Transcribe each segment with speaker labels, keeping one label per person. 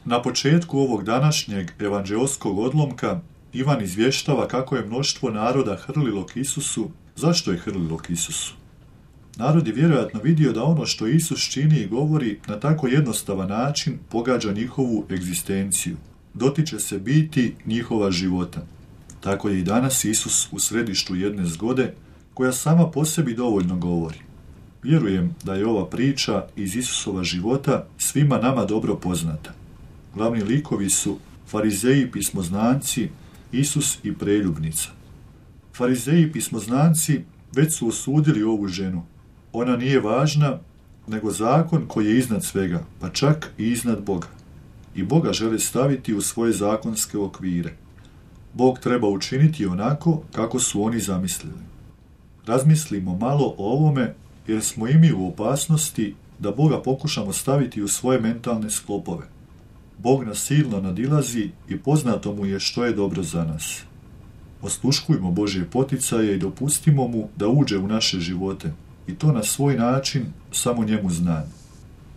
Speaker 1: Na početku ovog današnjeg evanđeoskog odlomka Ivan izvještava kako je mnoštvo naroda hrlilo k Isusu. Zašto je hrlilo k Isusu? Narod je vjerojatno vidio da ono što Isus čini i govori na tako jednostavan način pogađa njihovu egzistenciju. Dotiče se biti njihova života. Tako je i danas Isus u središtu jedne zgode koja sama po sebi dovoljno govori. Vjerujem da je ova priča iz Isusova života svima nama dobro poznata. Glavni likovi su farizeji, pismoznanci, Isus i preljubnica. Farizeji i pismoznanci već su osudili ovu ženu. Ona nije važna, nego zakon koji je iznad svega, pa čak i iznad Boga. I Boga žele staviti u svoje zakonske okvire. Bog treba učiniti onako kako su oni zamislili. Razmislimo malo o ovome, jer smo i mi u opasnosti da Boga pokušamo staviti u svoje mentalne sklopove. Bog nas silno nadilazi i poznato mu je što je dobro za nas. Osluškujmo Božje poticaje i dopustimo mu da uđe u naše živote, i to na svoj način, samo njemu znan.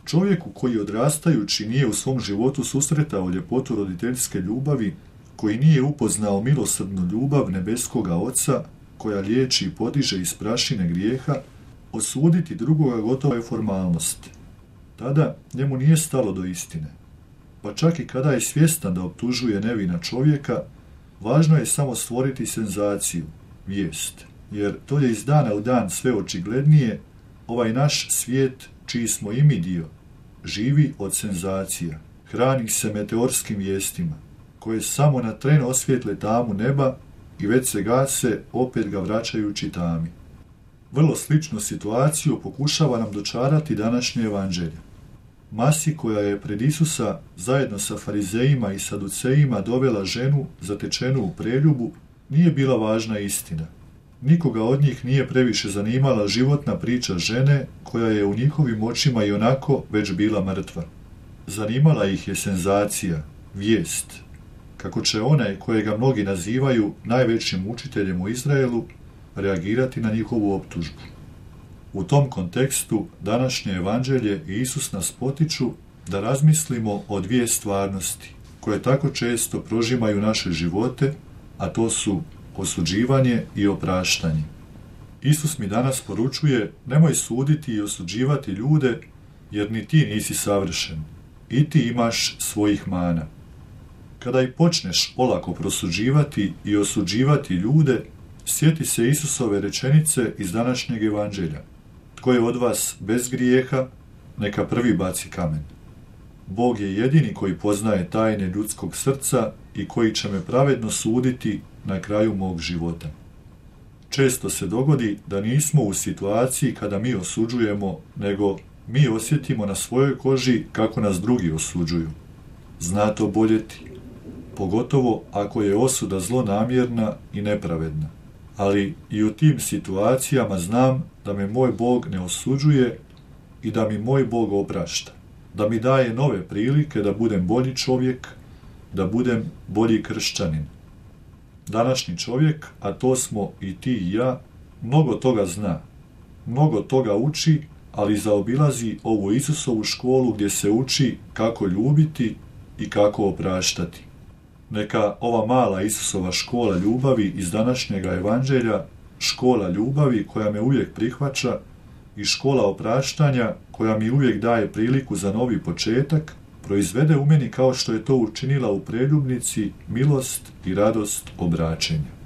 Speaker 1: Čovjeku koji odrastajući nije u svom životu susretao ljepotu roditeljske ljubavi, koji nije upoznao milosrdnu ljubav nebeskoga Oca, koja liječi i podiže iz prašine grijeha, osuditi drugoga gotovo je formalnost. Tada njemu nije stalo do istine. Pa čak i kada je svjestan da optužuje nevina čovjeka, važno je samo stvoriti senzaciju, vijest, jer to je iz dana u dan sve očiglednije. Ovaj naš svijet, čiji smo i mi dio, živi od senzacija, hrani se meteorskim vijestima, koje samo na tren osvijetle tamu neba i već se gase, opet ga vraćajući tami. Vrlo sličnu situaciju pokušava nam dočarati današnje evanđelje. Masi koja je pred Isusa zajedno sa farizejima i saducejima dovela ženu zatečenu u preljubu, nije bila važna istina. Nikoga od njih nije previše zanimala životna priča žene koja je u njihovim očima i onako već bila mrtva. Zanimala ih je senzacija, vijest, kako će onaj kojega mnogi nazivaju najvećim učiteljem u Izraelu reagirati na njihovu optužbu. U tom kontekstu današnje evanđelje i Isus nas potiču da razmislimo o dvije stvarnosti koje tako često prožimaju naše živote, a to su osuđivanje i opraštanje. Isus mi danas poručuje: nemoj suditi i osuđivati ljude, jer ni ti nisi savršen, i ti imaš svojih mana. Kada i počneš olako prosuđivati i osuđivati ljude, sjeti se Isusove rečenice iz današnjeg evanđelja: tko je od vas bez grijeha, neka prvi baci kamen. Bog je jedini koji poznaje tajne ljudskog srca i koji će me pravedno suditi na kraju mog života. Često se dogodi da nismo u situaciji kada mi osuđujemo, nego mi osjetimo na svojoj koži kako nas drugi osuđuju. Zna to boljeti, pogotovo ako je osuda zlonamjerna i nepravedna. Ali i u tim situacijama znam da me moj Bog ne osuđuje i da mi moj Bog oprašta, da mi daje nove prilike da budem bolji čovjek, da budem bolji kršćanin. Današnji čovjek, a to smo i ti i ja, mnogo toga zna, mnogo toga uči, ali zaobilazi ovu Isusovu školu gdje se uči kako ljubiti i kako opraštati. Neka ova mala Isusova škola ljubavi iz današnjega evanđelja, škola ljubavi koja me uvijek prihvaća i škola opraštanja koja mi uvijek daje priliku za novi početak, proizvede u meni, kao što je to učinila u preljubnici, milost i radost obraćenja.